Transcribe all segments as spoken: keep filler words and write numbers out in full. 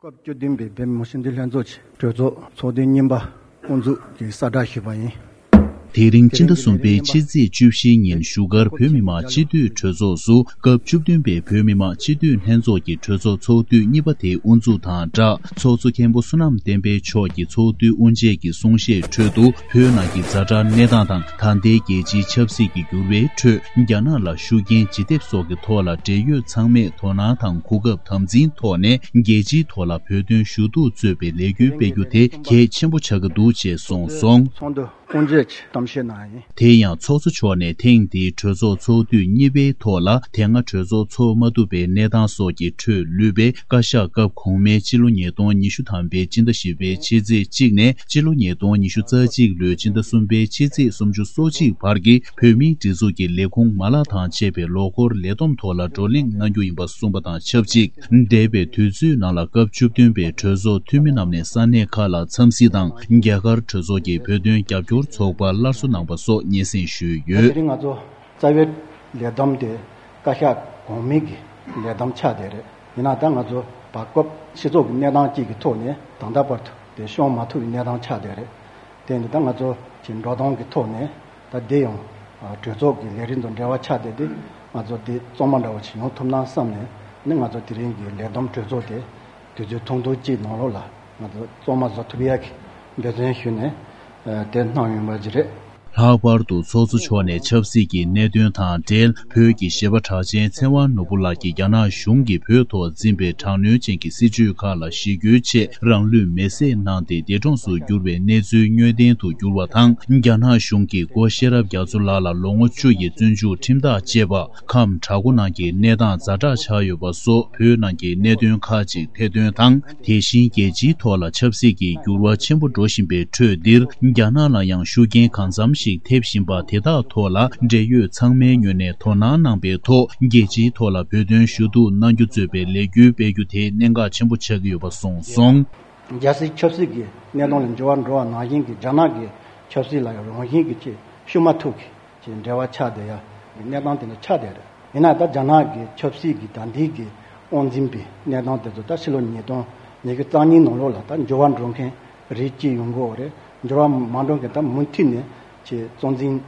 སྐབས་བཅུ་བདུན་པའི་བོད་མི་མང་སྤྱི་འཐུས་ལྷན་ཚོགས་ཀྱི་གྲོས་ཚོགས་ཚོགས་དུས་གཉིས་པ་དབུ་འཛུགས་ཀྱི་གསལ་བསྒྲགས་ཞུས་པ་ཡིན། དེ་རིང་སྤྱི་ཟླ་གསུམ་པའི་ཕྱི་ཚེས་བཅུ་བཞི་ཉིན་བཞུགས་སྒར་བོད་མི་མང་སྤྱི་འཐུས་གྲོས་ཚོགས་སུ་སྐབས་བཅུ་བདུན་པའི་བོད་མི་མང་སྤྱི་འཐུས་ལྷན་ཚོགས་ཀྱི་གྲོས་ཚོགས་ཚོགས་དུས་གཉིས་པ་དེ་དབུ་འཛུགས་དང་སྦྲགས། ཚོགས་གཙོ་མཁན་པོ་བསོད་ནམས་བསྟན་འཕེལ་མཆོག་གིས་ཚོགས་འདུའི་དབུ་འབྱེད་ཀྱི་གསུང་བཤད་ཁྲོད་དུ་བོད་ནང་གི་ཛ་དྲག་གནས་སྟངས་དང་། ད་ལྟའི་རྒྱལ་སྤྱིའི་ཆབ་སྲིད་ཀྱི་འགྱུར་བའི་ཁྲོད་རྒྱ་ནག་ལ་ཤུགས་རྐྱེན་ཇི་ཐེབས་སོགས་ཀྱི་ཐོག་ལ་འབྲེལ་ཡོད་ཚང་མས་དོ་སྣང་དང་གོ་སྐབས་དམ་འཛིན་ཐོག་ནས་རྒྱལ་སྤྱིའི་ཐོག་ལ་བོད་དོན་ཞུ་གཏུག་གཙོས་པའི་ལས་འགུལ་སྤེལ་རྒྱུ་དེ་གལ་ཆེན་པོ་ཆགས་ཀྱི་འདུག་ཅེས་གསུངས་སོང་། ཚོགས་འདུ་དབུ་འབྱེད་ཀྱི་གཏམ་བཤད་གནང་ཡིན། དེ་ཡང་ཚོགས་གཙོ་མཆོག་ནས་ཐེངས་འདིའི་གྲོས་ཚོགས་ཚོགས་དུས་གཉིས་པའི་ཐོག་ལ། དེ་སྔ་གྲོས་ཚོགས་ཚོགས་མ་ཐུབ་པའི་གནས་སྟངས་སོགས་ཀྱི་ཁྲོད་ལུས་པའི་བཀའ་ཤག་སྐབས་གོང་མའི་ཕྱི་ལོ་ཉིས་སྟོང་ཉི་ཤུ་ཐམ་པའི་སྤྱི་ཟླ་བཞི་པའི་ཕྱི་ཚེས་གཅིག་ནས་ཕྱི་ལོ་ཉིས་སྟོང་ཉི་ཤུ་རྩ་གཅིག་ལོའི་ཕྱི་ཟླ་གསུམ་པའི་ཕྱི་ཚེས་སུམ་ཅུ་སོ་གཅིག་བར་གྱི་བོད་མིའི་སྒྲིག་འཛུགས་ཀྱི་ལས་ཁུངས་མ་ལག་དང་བཅས་པའི་ལོ་འཁོར་ལས་བསྡོམས་ཐོག་ལ་བགྲོ་གླེང་གནང་རྒྱུ་ཡིན་པ་གསུངས་པ་དང་ཆབས་ཅིག་འདས་པའི་དུས་ཚོད་ནང་ལ་སྐབས་བཅུ་བདུན་པའི་གྲོས་ཚོགས་འཐུས་མི་རྣམས་ནས་ས་གནས་ཁག་ལ་འཚམས་གཟིགས་དང་། རྒྱ་གར་གྲོས་ཚོགས་ཀྱི་བོད་དོན་རྒྱབ་སྐྱོར་ཚོགས་པར་སླར་གསོ་གནང་པ་སོགས་སྙན་སེང་ཞུས་ཡོད། དེ་རིང་ང་ཚོ་རྩ་བའི་ལས་བསྡོམས་དེ་བཀའ་ཤག་གོང་མའི་གི་ལས་བསྡོམས་ཆགས་བསྡད་རེད། ཡིན་ན་ད་ང་ཚོ་བར་སྐབས་སྤྱི་ཚོགས་ཀྱི་གནས་སྟངས་གཅིག་གི་ཐོག་ནས་ད་ལྟ་བར་དུ་དེ་ཤོང་མ་ཐུབ་པའི་གནས་སྟངས་ཆགས་བསྡད་རེད། དེ་ནི་ད་ང་ཚོ་གི་འགྲོ་སྟངས་ཀྱི་ཐོག་ནས་ད་དེ་ཡང་གྲོས་ཚོགས་ཀྱི་ལས་རིམ་དང་འབྲེལ་བ་ཆགས་བསྡད་དེ། ང་ཚོ་དེ་གཙང་མ་འདྲ་བོ་ཞིག་ཡོང་ཐུབ་ན་བསམ་ནས་ནི་ང་ཚོ་དེ་རིང་གི་ལས་བསྡོམས་གྲོས་ཚོགས་དེ་དུས་ཚོད་ཐུང་ཐུང་གཅིག་ནང་ལོགས་ལ་ང་ཚོ་གཙང་མ་བཟོ་ཐུབ་ཡག་གི་འབད་བརྩོན་ཞུས་ནས་དེ་གནང་ཡོང་བ་ཞིག་རེད། ལྷག་པར་དུ་ཚོགས་གཙོ་མཆོག་ནས་ཆབ་སྲིད་ཀྱི་གནད་དོན་དང་འབྲེལ་བོད་ཀྱི་གཞས་པ་གྲགས་ཅན་ཚེ་དབང་ནོར་བུ་ལགས་ཀྱིས་རྒྱ་ནག་གཞུང་གིས་བོད་ཐོག་འཛིན་པའི་དྲག་གནོན་ཅན་གྱི་སྲིད་བྱུས་ཁག་ལ་གཞིགས་སྐུལ་ཆེད་རང་ལུས་མེར་སྲེག་གནང་སྟེ་འདས་གྲོངས་སུ་གྱུར་བའི་གནས་ཚུལ་དངོས་བདེན་དུ་གྱུར་བ་དང་། རྒྱ་ནག་གཞུང་གིས་སྒོ་ཤེས་རབ་རྒྱ་མཚོ་ལགས་ལ་ལོ་ངོ་བཅུ་ཡི་བཙོན་འཇུག་ཁྲིམས་ཐག་བཅད་པ། ཁམས་བྲག་འགོ་ནང་གི་གནས་སྟངས་ཛ་དྲག་ཆགས་ཡོད་པ་སོགས་བོད་ནང་གི་གནད་དོན་ཁག་ཅིག་ཐེར་འདོན་དང་། དེ་བཞིན་རྒྱལ་སྤྱིའི་ཐོག་ལ་ཆབ་སྲིད་ཀྱི་འགྱུར་བ་ཆེན་པོ་འགྲོ་བཞིན་པའི་ཁྲོད་འདིར། རྒྱ་ནག་ལ་ཡང་ཤུགས་རྐྱེན་གང་འཚམ་ཞིག་ཐེབས་བཞིན་པ་དེ་དག་ཐོག་ལ་འབྲེལ་ཡོད་ཚང་མའི་ངོས་ནས་དོ་སྣང་གནང་པའི་ཐོག་རྒྱལ་སྤྱིའི་ཐོག་ལ་བོད་དོན་ཞུ་གཏུག་གནང་རྒྱུ་གཙོས་པའི་ལས་འགུལ་སྤེལ་རྒྱུ་དེ་གནད་འགག་ཆེན་པོ་ཆགས་ཀྱི་ཡོད་པ་གསུངས་སོང་། རྒྱལ་སྲིད་ཆབ་སྲིད་ཀྱི་གནད་དོན་ལ་འགྱུར་བ་འགྲོ་བ་ནང་བཞིན་གྱི་རྒྱ་ནག་གི་ཆབ་སྲིད་ལ་ཡང་རང་བཞིན་གྱི་ཆེད་ཤུགས་མ་ཐུག་གི་ཅིག་འབྲེལ་བ་ཆགས་བསྡད་ཡ་གི་གནས་སྟངས་དེ་འདྲ་ཆགས་བསྡད་རེད། ཡིན་ན་ད་རྒྱ་ནག་གི་ཆབ་སྲིད་ཀྱི་ད་ལྟའི་གི་དབང་འཛིན་པའི་གནས་སྟངས་དེ་ཚོ་ད་ཕྱི་ལོ་ཉིས་སྟོང་ཉི་ཤུ་རྩ་གཉིས་ནང་ལོགས་ལ་ད་འགྱུར་བ་འགྲོ་མཁན་རིགས་གཅིག་ཡོང་གི་ཡོད་རེད། འགྱུར་བ་མ་འགྲོ་མཁན་ད་མུ་མཐུད་ནས་ཅིག་གཙོ་འཛིན་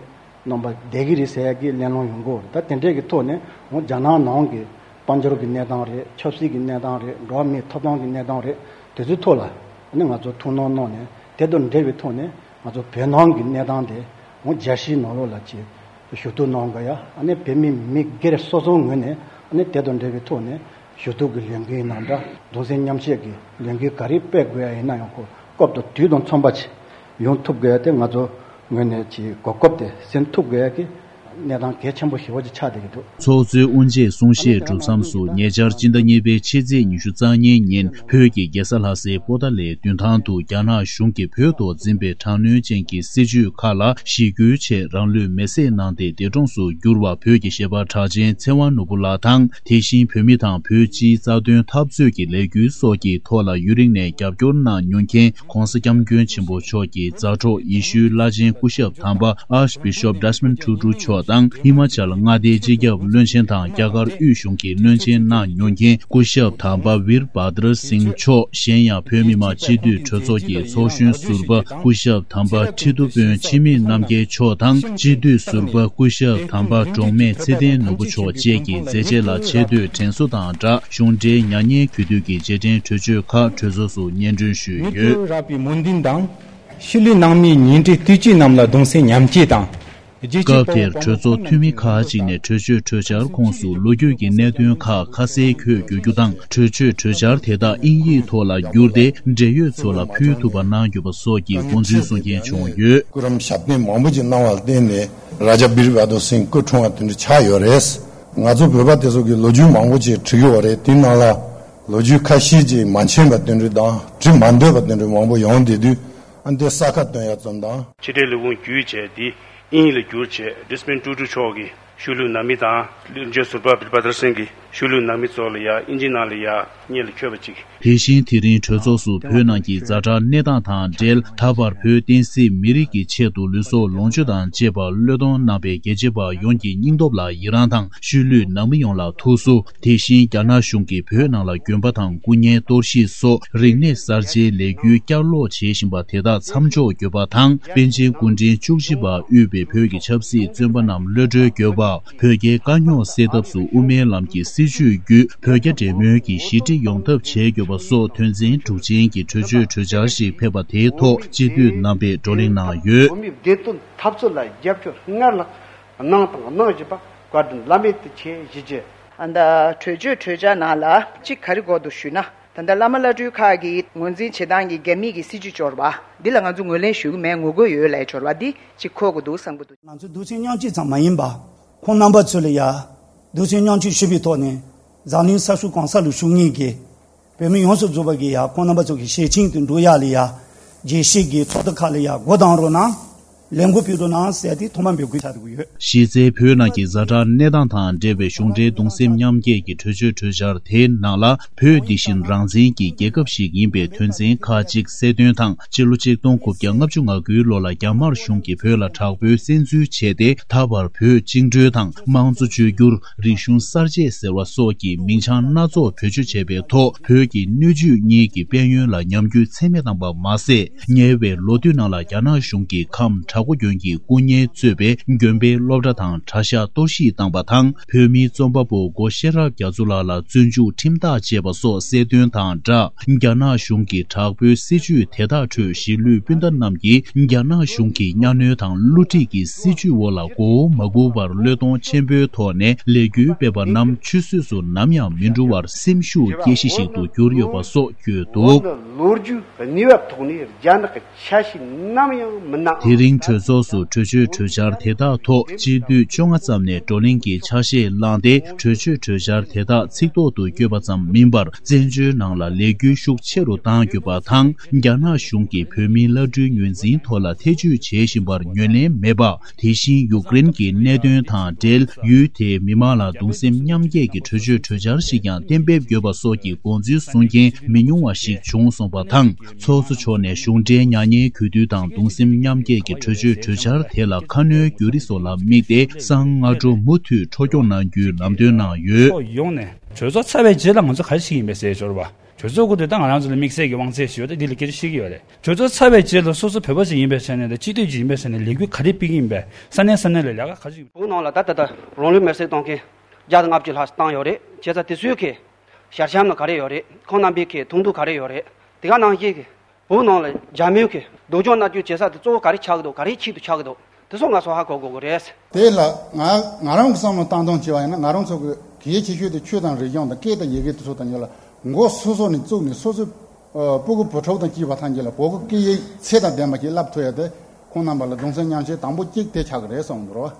རྣམ་པ་བསྡད་ཀྱི་རེད་ཟེར་ཡ་གི་གླེང་སློང་ཡོང་གི་ཡོད་རེད། ད་དེ་འདྲའི་གི་ཐོག་ནས་འོ་རྒྱ་ནག་ནང་གི་དཔལ་འབྱོར་གྱི་གནས་སྟངས་རེད། ཆབ་སྲིད་ཀྱི་གནས་སྟངས་རེད། འགྲོ་བ་མིའི་ཐོབ་ཐང་གི་གནས་སྟངས་རེད། དེ་ཚོའི་ཐོག་ལ་ཨ་ནི་ང་ཚོ་ཐུགས་སྣང་གནང་ནས་དེ་དང་འབྲེལ་བའི་ཐོག་ནས་ང་ཚོ་བོད་ནང་གི་གནས་སྟངས་དེ་འོ་རྒྱལ་སྤྱིའི་ནང་ལོགས་ལ་ཅིག་ཞུ་གཏུག་གནང་དགོས་ཡ། ཨ་ནི་བོད་མི་མི་སྒེར་སོ་སོའི་ངོས་ནས་ཨ་ནི་དེ་དང་འབྲེལ་བའི་ཐོག་ནས་ཞུ་གཏུག་གི་ལས་འགུལ་ཡིན་ན་འདྲ། གདུང་སེམས་མཉམ་བསྐྱེད་ཀྱི་ལས་འགུལ་ག་རེ་སྤེལ་དགོས་ཡ་ཡིན་ན་ཡང་ཁོ་སྐབས་དང་དུས་དང་མཚུངས་པ་ཅིག་ཡོང་ཐུབ་དགོས་ཡ་དེ་ང་ཚོ་ངོས་ནས་ཅིག་གོ་སྐབས་དེ་ཟིན་ཐུབ་དགོས་ཡ་གི་གནས་སྟངས་གལ་ཆེན་པོ་ཞེ་པོ་ཅིག་ཆགས་བསྡད་ཀྱི་འདུག་ཚོགས་གཙོའི་དབུ་འབྱེད་གསུང་བཤད་གྲུབ་མཚམས་སུ་ཉེ་ཆར་སྤྱི་ཟླ་གཉིས་པའི་ཕྱི་ཚེས་ཉི་ཤུ་རྩ་གཉིས་ཉིན་བོད་ཀྱི་རྒྱལ་ས་ལྷ་སའི་པོ་ཏཱ་ལའི་མདུན་ཐང་དུ་རྒྱ་ནག་གཞུང་གིས་བོད་ཐོག་འཛིན་པའི་དྲག་གནོན་ཅན་གྱི་སྲིད་བྱུས་ཁག་ལ་གཞིགས་སྐུལ་ཆེད་རང་ལུས་མེར་སྲེག་གནང་སྟེ་འདས་གྲོངས་སུ་གྱུར་བ་བོད་ཀྱི་གཞས་པ་གྲགས་ཅན་ཚེ་དབང་ནོར་བུ་ལགས་དང་། དེ་བཞིན་བོད་མི་དང་བོད་སྤྱིའི་རྩ་དོན་འཐབ་རྩོད་ཀྱི་ལས་འགུལ་སོགས་ཀྱི་ཐོག་ལ་ཡུན་རིང་ནས་རྒྱབ་སྐྱོར་གནང་མྱོང་མཁན་༸གོང་ས་༸སྐྱབས་མགོན་ཆེན་པོ་མཆོག་གི་མཛའ་གྲོགས་ཡེ་ཤུའི་བླ་ཆེན་སྐུ་ཞབས་དམ་པ་Archbishop Desmond Tutu་མཆོག་དང་ཧི་མ་ཅལ་མངའ་སྡེའི་སྤྱི་ཁྱབ་བློན་ཆེན་དང་རྒྱ་གར་དབུས་གཞུང་གི་བློན་ཆེན་གནང་མྱོང་མཁན་སྐུ་ཞབས་དམ་པ་ཝིར་བྷ་དར་སིང་མཆོག་གཞན་ཡང་བོད་མི་མང་སྤྱི་འཐུས་གྲོས་ཚོགས་ཀྱི་ཚོགས་གཞོན་ཟུར་པ་སྐུ་ཞབས་དམ་པ་ཁྲི་གདུགས་དཔོན་འཆི་མེད་རྣམ་རྒྱལ་མཆོག་དང་སྤྱི་འཐུས་ཟུར་པ་སྐུ་ཞབས་དམ་པ་འབྲོག་སྨད་ཚེ་བརྟན་ནོར་བུ་མཆོག་བཅས་ཀྱི་མཛད་རྗེས་ལ་ཆེ་བསྟོད་དྲན་གསོ་དང་སྦྲགས། གཞུང་འབྲེལ་མྱ་ངན་གུས་འདུད་ཀྱི་རྗེས་དྲན་གྲོས་ཆོད་ཁག་གྲོས་ཚོགས་སུ་སྙན་སྒྲོན་ཞུས་ཡོད། རབ་པའི་སྨོན་འདུན་དང་། ཤུལ་ལུས་ནང་མིའི་ཉེ་འབྲེལ་ལྟོས་བཅས་རྣམས་ལ་གདུང་སེམས་མཉམ་སྐྱེད་དང་། རྗེས་སྐབས་དེར་གྲོས་ཚོགས་འཐུས་མི་ཁག་ཅིག་ནས་གྲོས་ཆོད་གྲོས་འཆར་ཁོངས་སུ་ལོ་རྒྱུས་ཀྱི་གནད་དོན་ཁག་ཁ་གསལ་འཁོད་དགོས་རྒྱུ་དང་། གྲོས་ཆོད་གྲོས་འཆར་དེ་དག་དབྱིན་ཡིག་ཐོག་ལ་བསྒྱུར་ཏེ་འབྲེལ་ཡོད་ཚོ་ལ་ཕུལ་ཐུབ་པ་གནང་དགོས་པ་སོགས་ཀྱི་དགོངས་ཚུལ་གསུང་མཁན་བྱུང་ཡོད། སྐུ་རིམ་ཞབས་བརྟན་མང་པོ་ཅིག་གནང་བ་ལ་བརྟེན་ནས་རཱ་ཇཱ་བིར་བྷ་དུར་སིང་སྐུ་འཁྲུངས་པ་དེ་འདྲ་ཆགས་ཡོད་རེད། ང་ཚོ་བོད་པ་དེ་ཚོ་གི་ལོ་རྒྱུས་མང་པོ་ཅིག་བྲིས་ཡོད་རེད། དེའི་ནང་ལ་ལོ་རྒྱུས་ཁ་ཤས་ཅིག་མ་མཁྱེན་པ་དེ་འདྲ་དང་བྲིས་མ་འདོད་པ་དེ་འདྲ་མང་པོ་ཡོང་བསྡད་དུས། ཨ་འདི་ས་ཁ་སྟོན་ཡ་ཙམ་དང་། ཕྱི་འབྲེལ་ལས་ཁུངས་བརྒྱུད་བྱས་ཏེ་དབྱིན་ཡིག་ལ་བསྒྱུར་བྱས་ཌེ་སི་མོན་ཊུ་ཊུ་མཆོག་གི་ཤུལ་ལུས་ནང་མི་དང་བློན་ཆེན་ཟུར་པ་བིར་བྷ་དར་སིང་གི་ ཆོས་ལུགས་ནང་མི་ཚོ་ལ་ཡ་ཨིན་ཇི་ནང་ལ་ཡ་སྙན་ལ་འཁྱོལ་བ་ཅིག་དེ་བཞིན་དེ་རིང་གྲོས་ཚོགས་སུ་བོད་ནང་གི་ཛ་དྲག་གནས་སྟངས་དང་འབྲེལ། ད་བར་བོད་བསྟན་སྲིད་མི་རིགས་ཀྱི་ཆེད་དུ་ལུས་སྲོག་ལོངས་སྤྱོད་དང་བཅས་པ་བློས་གཏོང་གནང་བའི་རྒྱལ་གཅེས་པ་ཡོངས་ཀྱི་སྙིང་སྟོབས་ལ་ཡི་རངས་དང་། ཆོས་ལུགས་ནང་མི་ཡོངས་ལ་ཐུགས་གསོ། དེ་བཞིན་རྒྱ་ནག་གཞུང་གིས་བོད་ནང་ལ་དགོན་པ་དང་སྐུ་བརྙན་གཏོར་བཤིག་སོགས་རིག་གནས་གསར་བརྗེའི་ལས་འགུལ་བསྐྱར་ལོག་བྱེད་བཞིན་པ་དེ་དག་མཚམས་འཇོག་དགོས་པ་དང་། པཎ་ཆེན་སྐུ་ཕྲེང་བཅུ་བཞི་པ་དབུས་པའི་བོད་ཀྱི་ཆབ་སྲིད་བཙོན་པ་རྣམས་གློད་གྲོལ་དགོས་པ། བོད་རྒྱའི་དཀའ་རྙོག་སེལ་ཐབས་སུ་དབུ་མའི་ལམ་གྱི་སྲིད་བྱུས་བརྒྱུད་བོད་རྒྱ་འབྲེལ་མོལ་གྱི་ཞི་འགྲིག་ཡོང་ཐབས་བྱེད་དགོས་པ་སོགས་དོན་ཚན་དྲུག་ཅན་གྱི་གྲོས་ཆོད་གྲོས་འཆར་ཞིག་ཕེབས་པ་དེའི་ཐོག་སྤྱི་འཐུས་རྣམ་པས་བགྲོ་གླེང་གནང་ཡོད། བོད་མིའི་བདེ་དོན་འཐབ་རྩོད་ལ་རྒྱབ་སྐྱོར་སྔར་ལྷག་གནང་དང་གནང་བཞིན་པ་བཀའ་དྲིན་བླ་མེད་དུ་ཆེ་ཞུ་རྒྱུ། ཨ་ད་གྲོས་ཆོད་གྲོས་འཆར་ནང་ལ་གཅིག་ག་རེ་དགོས་འདུག་ཞུས་ན། ད་ལྟ་བླ་མ་བླ་སྤྲུལ་ཁག་གིས་ངོས་འཛིན་བྱེད་སྟངས་ཀྱི་རྒྱ་མི་གི་སྲིད་བྱུས་སྦྱོར་བ་འདི་ལ་ང་ཚོ་ངོས་ལེན་ཞུ་གི་མེད། ངོ་རྒོལ་ཡོད་ལབ་སྦྱོར་བ་འདི་གཅིག་གོ་དགོས་འདུག་བསམ་གྱི་འདུག་ང་ཚོ་གདུང་སེམས་མཉམ་སྐྱེད་ཙམ་མ་ཡིན་པ། ཁོང་རྣམ་པ་ཚོ་ལ་ཡ་གདུང་སེམས་མཉམ་སྐྱེད་ཞུ་བའི་ཐོག་ནས་འཛམ་གླིང་ས་ཕྱོགས་གང་ས་ལ་བཞུགས་མཁན་གྱི་བོད་མི་ཡོངས་སུ་རྫོགས་པ་གིས་ཡ་ཁོང་རྣམ་པ་ཚོ་གི་ཞལ་ཆེམས་དེ་འགྲོ་ཡག་ལ་ཡ་རྒྱལ་སྤྱི་གི་ཚོགས་སྡེ་ཁག་ལ་ཡ་སྒོ་གདངས་རོགས་གནང་། ལས་འགུལ་སྤེལ་རོགས་གནང་ཟེར་ཏེ་ཐོག་མར་འབོད་སྐུལ་བྱ་དགོས་ཡོད། གཞི་རྩའི་བོད་ནང་གི་ཛ་དྲག་གནས་སྟངས་དང་འབྲེལ་བའི་གཞུང་འབྲེལ་གདུང་སེམས་མཉམ་སྐྱེད་ཀྱི་གྲོས་ཆོད་གྲོས་འཆར་དེའི་ནང་ལ། བོད་འདི་བཞིན་རང་བཙན་གྱི་རྒྱལ་ཁབ་ཞིག་ཡིན་པའི་དོན་ཚན་ཁག་ཅིག་གསལ་སྟོན་དང་། སྤྱི་ལོ་ཆིག་སྟོང་དགུ་བརྒྱ་ལྔ་བཅུ་ང་དགུའི་ལོ་ལ་རྒྱ་དམར་གཞུང་གིས་བོད་ལ་དྲག་པོའི་བཙན་འཛུལ་བྱས་ཏེ། ད་བར་བོད་བཅིངས་འགྲོལ་དང་། དམངས་གཙོ་བཅོས་བསྒྱུར། རིག་གཞུང་གསར་བརྗེ་ཟེར་བ་སོགས་ཀྱི་མིང་བྱང་སྣ་ཚོགས་བེད་སྤྱོད་བྱས་པའི་ཐོག་བོད་ཀྱི་སྣོད་བཅུད་གཉིས་ཀྱི་དཔལ་ཡོན་ལ་ཉམས་རྒུད་ཚད་མེད་བཏང་པ་མ་ཟད། ཉེ་བའི་ལོ་དུས་ནང་ལ་རྒྱ་ནག་གཞུང་གིས་ཁམས་བྲག་འགོ་དགོན་གྱི་སྐུ་བརྙན་གཙོས་པའི་དགོན་པའི་སློབ་གྲྭ་དང་གྲྭ་ཤག་གཏོར་བཤིག་བཏང་པ་དང་། བོད་མིའི་རྩོམ་པ་པོ་སྒོ་ཤེས་རབ་རྒྱ་མཚོ་ལགས་ལ་བཙོན་འཇུག་ཁྲིམས་ཐག་བཅད་པ་སོགས་གསལ་སྟོན་དང་སྦྲགས། རྒྱ་ནག་གཞུང་གིས་དྲག་པོའི་སྲིད་བྱུས་དེ་དག་ཁྲོད་གཞིས་ལུས་སྤུན་ཟླ་རྣམས་ཀྱིས་རྒྱ་ནག་གཞུང་གི་གཉའ་གནོན་དང་བསླུ་བྲིད་ཀྱི་སྲིད་བྱུས་འོག་ལ་མགོ་བོ་མ་སྒུར་བར་བློས་གཏོང་ཆེན་པོའི་ཐོག་ནས་ལས་འགུལ་སྤེལ་བ་རྣམས་ཆུད་ཟོས་སུ་ནམ་ཡང་མི་འགྲོ་བར་སེམས་ཤུགས་སྐྱེ་གཞི་ཞིག་ཏུ་གྱུར་ཡོད་པ་སོགས་བརྗོད་འདུག། ལོ་རྒྱུས་གནས་བབ་ཐོག་ནས་རྒྱ་ནག་གི་ཆ་ཤས་ནམ་ཡང་མི་སྣང་། དེ་རིང་གྲོས་ཚོགས་སུ་གྲོས་ཆོད་གྲོས་འཆར་དེ་དག་ཐོག་སྤྱི་འཐུས་བཅོ་ལྔ་ཙམ་ནས་བགྲོ་གླེང་གི་ཆ་ཤས་བླངས་ཏེ། གྲོས་ཆོད་གྲོས་འཆར་དེ་དག་ཚིག་ཐོག་ཏུ་བཀོད་པ་ཙམ་མིན་པར། བཙན་བྱོལ་ནང་ལ་ལས་འགུལ་ཤུགས་ཆེ་རུ་གཏང་དགོས་པ་དང་། རྒྱ་ནག་གཞུང་གིས་བོད་མིའི་བླ་སྤྲུལ་ངོས་འཛིན་ཐོག་ལ་ཐེ་བྱུས་བྱེད་བཞིན་པར་ངོས་ལེན་མེད་པ། དེ་བཞིན་ཡུཀ་རེན་གྱི་གནད་དོན་དང་འབྲེལ། ཡུལ་དེའི་མི་མང་ལ་གདུང་སེམས་མཉམ་སྐྱེད་ཀྱི་གྲོས་ཆོད་གྲོས་འཆར་ཞིག་ཀྱང་གཏན་འབེབས་དགོས་པ་སོགས་ཀྱི་དགོངས་ཚུལ་གསུང་མཁན་མི་ཉུང་བ་ཞིག་བྱུང་སོང་བ་དང་། ཚོགས་གཙོ་མཆོག་ནས་གཞུང་འབྲེལ་མྱ་ངན་གུས་འདུད་དང་གདུང་སེམས་མཉམ་སྐྱེད་ཀྱི་གྲོས་ཆོད་གྲོས་འཆར་དེ་ལ་ཁ་སྣོན་བརྒྱུད་རིམ་སོགས་ལ་དམིགས་ཏེ། གསང་སྔ་དྲོ་མུ་མཐུད་འཕྲོ་སྐྱོང་གནང་རྒྱུའི་ལམ་སྟོན་གནང་ཡོད། ཕྱོགས་ཡོངས་ནས་གྲོས་ཚོགས་ཚར་བའི་རྗེས་ལ་ང་ཚོ་ག་རེ་བྱེད་ཀྱི་ཡིན་པས་ཟེར་ཞོར་བ། གྲོས་ཚོགས་ཁོ་དེ་ད་ང་རང་ཚོ་ལ་དམིགས་བསལ་གྱི་དབང་ཚད་ཞིག་ཡོད་དེ་འདི་ལ་སྐད་ཆ་བཤད་ཀྱི་ཡོད་རེད། གྲོས་ཚོགས་ཚར་བའི་རྗེས་ལ་སོ་སོ་བོད་པ་ཞིག་ཡིན་པའི་ཆ་ནས་དང་སྤྱི་འཐུས་ཅིག་ཡིན་པའི་ཆ་ནས་ལས་འགུལ་ག་རེ་སྤེལ་གྱི་ཡིན་པས། ས་གནས་ས་གནས་ལ་ལས་ཀ་ག་རེ་བྱེད། བོད་ནང་ལ་ད་ལྟ་ད་རང་ལུས་མེར་སྲེག་གཏོང་མཁན་བརྒྱ་དང་ལྔ་བཅུ་ལྷག་བཏང་ཡོད་རེད། བྱས་ཙང་དེ་ཚོའི་གི་ཞལ་འཆམ་ནི་ག་རེ་ཡོད་རེད། ཁོང་རྣམ་པའི་གི་གདོང་ཐུག་ག་རེ་ཡོད་རེད། དེ་ག་ནང་བཞིན་གི་བོད་ནང་ལ་འཇར་མན་གི་སྡུག་སྦྱོང་མནར་གཅོད་བྱེད་ས་དེ་གཙོ་བོ་ག་རེ་ཆགས་ཀྱི་འདུག། ག་རེ་ཆེད་དུ་ཆགས་ཀྱི་འདུག། དེ་ཚོ་ང་ཚོ་ཧ་གོ་དགོས་ཀྱི་རེད། དེ་ལ་ང་ང་རང་གི་བསམ་བློ་བཏང་སྟངས་བྱས་པ་ཡིན་ན། ང་རང་ཚོ་གི་གལ་ཆེ་ཤོས་དེ་ཆོས་དང་རིག་གཞུང་དང་སྐད་དང་ཡི་གེ་དེ་ཚོ་དང་ཉེ་ལ་མགོ་སོ་སོ་ནས་བཙུགས་ནས། སོ་སོའི་ཨ་སྤུ་གུ་བུ་ཕྲུག་དང་བཅས་པ་ཐམས་ཅད་ལ་བོད་ཀྱི་སྐད་ཡིག་ཚད་དང་ལྡན་པ་ཞིག་བསླབ་ཐུབ་ཡ་དེ། ཁོང་རྣམ་པ་ལ་གདུང་སེམས་མཉམ་སྐྱེད་དང་པོ་གཅིག་དེ་ཆགས་ཀྱི་རེད་བསམ་གྱི་འདུག་ར།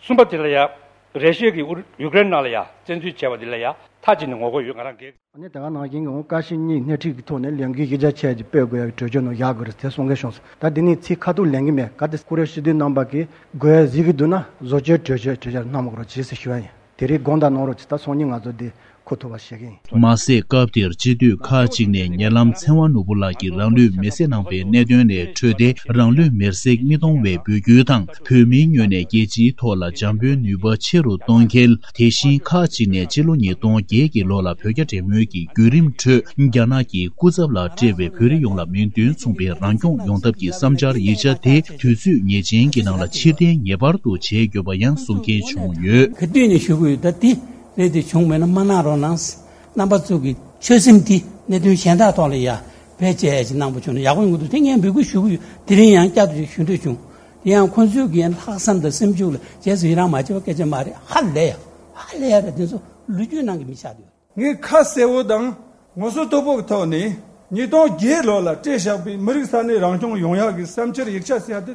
གསུམ་པ་དེ་ལ་ཡ། རེ་ཤོད་ཀྱིས་ཨུ་ཡུཀ་རེན་ནང་ལ་ཡ་བཙན་འཛུལ་བྱས་པ་འདི་ལ་ཡ་མཐའ་གཅིག་ནས་ངོ་རྒོལ་ཡོད། ང་རང་སྒེར། ཨ་ནི་དེ་ག་ནང་བཞིན་གྱི་འོང་བཀའ་སྤྱི་གཉིས་སྣེ་ཁྲིད་ཀྱི་ཐོག་ནས་ལས་འགུལ་གཞི་རྒྱ་ཆེ་ཅིག་སྤེལ་དགོས་ཡ་གི་གྲོས་ཆོད་ནང་ཡོད་དགོས་རེད་ཟེར་གསུང་གི་བྱུང་སོང་། ད་འདི་ནས་ཚིག་ཁ་ཐུག་ལེན་གྱི་མེད། ག་དེ་སྐུ་ངོ་སྤྱི་འཐུས་རྣམ་པ་གིས་དགོས་ཡ་གཟིགས་ཀྱི་འདུག་ན་བཟོ་བཅོས་གྲོས་ཆོད་གྲོས་འཆར་གནང་དགོས་རོགས་གྱིས་ཟེར་ཞུ་ཡ་ཡིན། དེ་རིང་དགོངས་དག་གནང་རོགས་གྱིས། ད་སང་ཉིན་ང་ཚོ་འདི་འཁུར་ཐུབ་པ་བྱེད་ཀྱི་ཡིན། མ་ཟད་སྐབས་དེར་སྤྱི་འཐུས་ཁག་ཅིག་ནས་ཉེ་ལམ་ཚེ་དབང་ནོར་བུ་ལགས་ཀྱིས་རང་ལུས་མེར་སྲེག་གནང་བའི་གནད་དོན་ལས་འཕྲོས་ཏེ། རང་ལུས་མེར་སྲེག་མི་གཏོང་བའི་འབོད་སྐུལ་དང་། བོད་མིའི་ངོས་ནས་རྒྱལ་སྤྱིའི་ཐོག་ལ་འཇམ་པོའི་ནུས་པ་ཆེ་རུ་གཏོང་གལ། དེ་བཞིན་ཁག་ཅིག་ནས་ཕྱི་ལོ་ཉིས་སྟོང་བརྒྱད་ཀྱི་ལོ་ལ་བོད་རྒྱ་འབྲེལ་མོལ་གྱི་བརྒྱུད་རིམ་ཁྲོད་རྒྱ་ནག་གི་སྐུ་ཚབ་ལ་སྤྲད་པའི་བོད་རིགས་ཡོངས་ལ་མིང་དོན་མཚུངས་པའི་རང་སྐྱོང་ཡོང་ཐབས་ཀྱི་བསམ་འཆར་ཡིག་ཆ་དེ་དུས་ཚོད་ངེས་ཅན་གྱི་ནང་ལ་ཕྱིར་འཐེན་ངེས་པར་དུ་བྱེད་དགོས་པ་ཡང་གསུང་མཁན་བྱུང་ཡོད། ག་དུས་ནས་ཞུ་གི་ཡོད། ད་དེ་རེད། དེ་བྱུང་མེད་ན་མ་གནང་རོགས་གནང་། རྣམ་པ་ཚོ་གི་ཆོད་སེམས་དེ་གནད་དོན་གཞན་དག་ཐོག་ལ་ཡ་བེད་སྤྱད་ཡ་ཅིག་གནང་པ་བྱུང་ན་ཡག་པོ་ཡོང་གི་འདུག། དེ་ངས་འབོད་སྐུལ་ཞུ་གི་ཡོད། དེ་རིང་ཡང་བསྐྱར་དུ་ཞུ་འདོད་བྱུང་། དེ་ཡང་ཁོང་ཚོས་ཀྱི་ལྷག་བསམ་དང་སེམས་ཤུགས་ལ་རྗེས་སུ་ཡི་རང་མ་བྱས་པ་སྐད་ཆ་མ་རེད། ཧ་ལས་ཡ། ཧ་ལས་ཡ་རེད། དེ་ཚོ་ལོ་རྒྱུས་ནང་གི་མི་ཆགས་འདུག། ངས་ཁ་གསལ་བོ་དང་ངོ་སོ་དོད་པོ་གི་ཐོག་ནས་ཉིས་སྟོང་བརྒྱད་ལོ་ལ་སྤྲད་བཞག་པའི་མི་རིགས་ས་གནས་རང་སྐྱོང་ཡོང་ཡག་གི་བསམ་འཆར་ཡིག་ཆ་ཟེར་ཡ་དེ་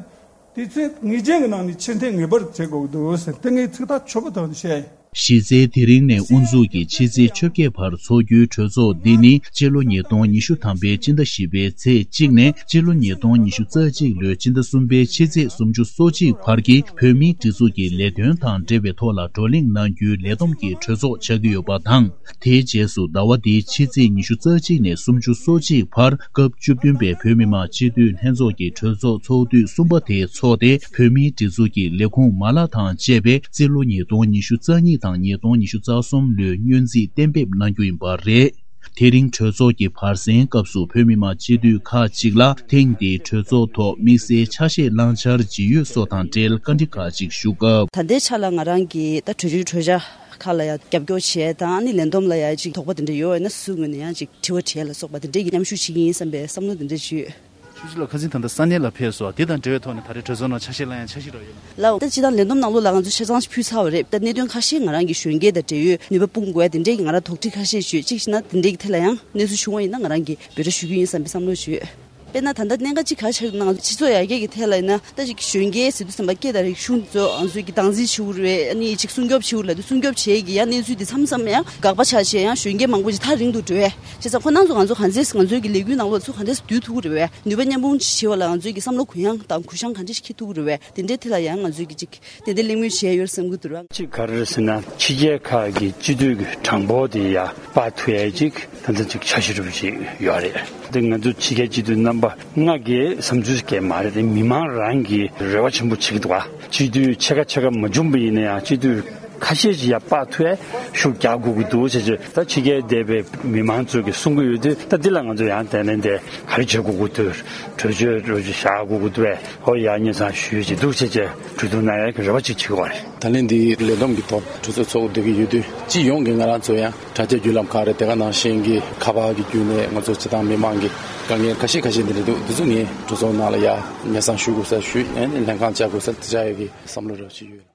དུས་ཚོད་ངེས་ཅན་གྱི་ནང་ནས་ཕྱིར་འཐེན་ངེས་པར་བྱེད་དགོས་ཀྱི་འདུག་ཟེར། དེ་ངས་ཚིག་ཐག་ཆོད་པོ་ཐོག་ནས་བཤད་ཡིན། གཞི་རྩའི་དེ་རིང་ནས་དབུ་འཛུགས་ཀྱིས་ཕྱི་ཚེས་བཅོ་བརྒྱད་བར་འཚོགས་རྒྱུའི་གྲོས་ཚོགས་འདི་ནི་སྤྱི་ལོ་ཉིས་སྟོང་ཉི་ཤུ་ཐམ་པའི་སྤྱི་ཟླ་བཞི་པའི་ཚེས་གཅིག་ནས་སྤྱི་ལོ་ཉིས་སྟོང་ཉི་ཤུ་རྩ་གཅིག་ལོའི་སྤྱི་ཟླ་གསུམ་པའི་ཕྱི་ཚེས་སུམ་ཅུ་སོ་གཅིག་བར་གྱི་བོད་མིའི་སྒྲིག་འཛུགས་ཀྱི་ལས་དོན་དང་འབྲེལ་བའི་ཐོག་ལ་བགྲོ་གླེང་གནང་རྒྱུའི་ལས་བསྡོམས་ཀྱི་གྲོས་ཚོགས་ཆགས་ཀྱི་ཡོད་པ་དང་། དེའི་རྗེས་སུ་ཟླ་བ་འདིའི་ཕྱི་ཚེས་ཉི་ཤུ་རྩ་གཅིག་ནས་སུམ་ཅུ་སོ་གཅིག་བར་སྐབས་བཅུ་བདུན་པའི་བོད་མི་མང་སྤྱི་འཐུས་ལྷན་ཚོགས་ཀྱི་གྲོས་ཚོགས་ཚོགས་དུས་གསུམ་པ་དེ་འཚོགས་ཏེ། བོད་མིའི་སྒྲིག་འཛུགས་ཀྱི་ལས་ཁུངས་མ་ལག་དང་བཅས་པའི་རྩིས་ལོ་ཉིས་སྟོང་ཉི་ཤུ་རྩ་གཉིས་དང་ཉིས་སྟོང་ཉི་ཤུ་རྩ་གསུམ་ལོའི་སྙུན་རྩིས་གཏན་འབེབས་གནང་རྒྱུ་ཡིན་པ་རེད། དེ་རིང་གྲོས་ཚོགས་ཀྱི་བར་གསེང་སྐབས་སུ་བོད་མི་མང་སྤྱི་འཐུས་ཁག་ཅིག་ལ་ཐེངས་འདིའི་གྲོས་ཚོགས་ཐོག་དམིགས་བསལ་ཆ་ཤས་བླང་འཆར་ཇི་ཡོད་སོགས་དང་འབྲེལ་བཀའ་འདྲི་ཁག་ཅིག་ཞུ་སྐབས། ད་ལྟའི་ཆ་ལ་ང་རང་གིས་ད་གྲོས་ཆོད་གྲོས་འཆར་ཁག་ལ་ཡང་རྒྱབ་སྐྱོར་བྱས་དང་ཨ་ནི་ལས་བསྡོམས་ལ་ཡང་ཅིག་དོགས་པ་དེ་འདྲ་ཡོད་ཡོད་ན་སུ་ངོས་ནས་ཡང་ཅིག་དྲི་བ་དྲིས་ལ་སོགས་པ་དེ་འདྲས་ཀྱི་མཉམ་ཞུགས་བྱེད་ཀྱི་ཡིན་བསམ་པའི་བསམ་བློ་དེ་འདྲས་ཅིག་ཡོད། ཆུ་ཚོད་ལ་ཁ་སང་ད་ལྟ་ས་གནས་ལ་ཕེབས་སོང་། དེ་དང་འབྲེལ་བའི་ཐོག་ནས་ད་རེས་གྲོས་ཚོགས་ནང་ཆ་ཤས་བླང་ཡ་འཆར་གཞི་རག་ཡོད་ན། ལགས་འོ། ད་སྤྱི་བཏང་ལས་བསྡོམས་ནང་ལོགས་ལ་ང་ཚོས་ཆ་ཚང་ཕུལ་ཚར་བ་རེད། ད་གནད་དོན་ཁ་ཤས་ང་རང་གི་གཞོན་སྐྱེས་དང་འབྲེལ་ཡོད་ནུས་པ་སྤུངས་དགོས་ཡ་དེ་འདྲས་ཀྱི་ང་རང་དོགས་འདྲི་ཁ་ཤས་ཡོད། གཅིག་བྱས་ན་དེ་འདྲས་ཀྱི་ཐད་ལ་ཡང་གནས་ཚུལ་བྱུང་བ་ཡིན་ན་ང་རང་གིས་འབོད་སྒྲ་ཞུ་རྒྱུ་ཡིན་བསམ་པའི་བསམ་བློ་ཞིག་ཡོད། དཔེར་ན་ད་ལྟ་གནད་འགག་གཅིག་ག་རེ་ཆགས་ཡོད་ན། ང་ཚོ་སྤྱི་ཚོགས་ཡར་རྒྱས་ཀྱི་ཐད་ལ་ཡིན་ན། ད་ཅིག་གཞོན་སྐྱེས་ཟེར་དུས་ཙམ་པ་སྐད་དང་རིག་གཞུང་དེ་ཚོ་ང་ཚོས་ཀྱི་སྟངས་འཛིན་བྱེད་དགོས་རེད། ཨ་ནི་ཅིག་སྲུང་སྐྱོབ་བྱེད་དགོས་ལབ་དུས་སྲུང་སྐྱོབ་བྱེད་ཀྱི་ཡང་གནས་ཚུལ་དེ་མཚམས་མཚམས་ཡང་དགག་པ་ཆགས་བྱས་ཡང་གཞོན་སྐྱེས་མང་པོ་ཅིག་ཐག་རིང་དུ་འགྲོ་བས། བྱས་ཙང་ཁོ་རང་ཚོ་ང་ཚོ་གང་འཚམས་ང་ཚོའི་གི་ལས་འགུལ་ནང་ལོགས་ཚུར་གང་འཚམས་བསྡུ་ཐུབ་ཀྱི་རེད་བས། ནུས་པ་མཉམ་སྤུངས་བྱེད་པ་ལ་ང་ཚོའི་གི་བསམ་བློ་གུ་ཡངས་དང་གུ་བཤངས་གང་འཚམས་ཤིག་འཁྱེར་ཐུབ་ཀྱི་རེད་བས། དེ་འདྲའི་ཐད་ལ་ཡང་ང་ཚོའི་གི་ཅིག་ཏན་ཏན་གླེང་མོལ་བྱས་ཡོད་བསམ་གྱི་འདུག་ར། གཅིག་ག་རེ་རེད་ཟེར་ན། ཕྱི་རྒྱལ་ཁག་གི་སྤྱི་འཐུས་ཀྱི་གྲངས་འབོར་དེ་ཡར་སྤར་ཐུབ་ཡས་ཅིག་ད་ལྟ་ཅིག་འཆར་གཞི་རུ་ཅིག་ཡོད་རེད། དེ་ང་ཚོ་ཕྱི་རྒྱལ་སྤྱི་འཐུས་རྣམ་པ་ལྔ་གིས་བསམ་ཚུལ་སྐད་མ་རེད་དེ། མི་མང་རང་གིས་རེ་བ་ཆེན་པོ་བྱེད་ཀྱི་འདུག་ཨ། སྤྱི་འཐུས་ཕྱེད་ཀ་ཕྱེད་ཀ་མ་བྱུང་པ་ཡིན་ན་ཡང་སྤྱི་འཐུས་ཁ་ཤས་ཅིག་ཡར་སྤར་ཐུབ་ཡས་ཤུགས་རྒྱག་དགོས་ཀྱི་འདུག་ཟེར་བྱས། ད་ཕྱི་རྒྱལ་བསྡད་པའི་མི་མང་ཚོ་གིས་གསུང་གི་ཡོད་དུས། ད་འདི་ལ་ང་ཚོ་ཡང་དེ་ནས་འདི་ག་རེ་བྱེད་དགོས་ཀྱི་འདུག་གྲོས་ཆོད་རོ་ཅིག་བཞག་དགོས་ཀྱི་འདུག་བས། ཧོ་ཡ་ཉེ་ཚང་ཞུས་ཅིག་འདུག་བྱས་བྱས་གྲོས་བསྡུར་གནང་ཡས་ཀྱི་རེ་བ་ཅིག་བྱེད་ཀྱི་ཡོད་རེད། ད་ལན་འདི་ལས་བསྡོམས་ཀྱི་ཐོག་གྲོས་ཚོགས་ཚོགས་བསྡད་ཀྱི་ཡོད་དུས། སྤྱི་ཡོངས་ཀྱི་ང་རང་ཚོ་ཡང་དྲ་རྒྱ་བརྒྱུད་ལམ་ཁག་རེད། དེ་ག་ནང་བཞིན་གྱི་ཁ་པར་གྱི་བརྒྱུད་ནས་ང་ཚོ་སྤྱི་བཏང་མི་མང་གི་དཀའ་ངལ་ཁ་ཤས་ཁ་ཤས་འདི་འདྲ་འདུག་འདི་ཚོ་ངས་གྲོས་ཚོགས་ནང་ལ་ཡ་སྙན་སེང་ཞུ་དགོས་ས་ཞུས། ཨ་ནི་ལྷན་ཁང་བཅར་དགོས་ས་དེ་བཅར་ཡས་ཀྱི་བསམ་བློ་རེ་བ་ཞིག་ཡོད།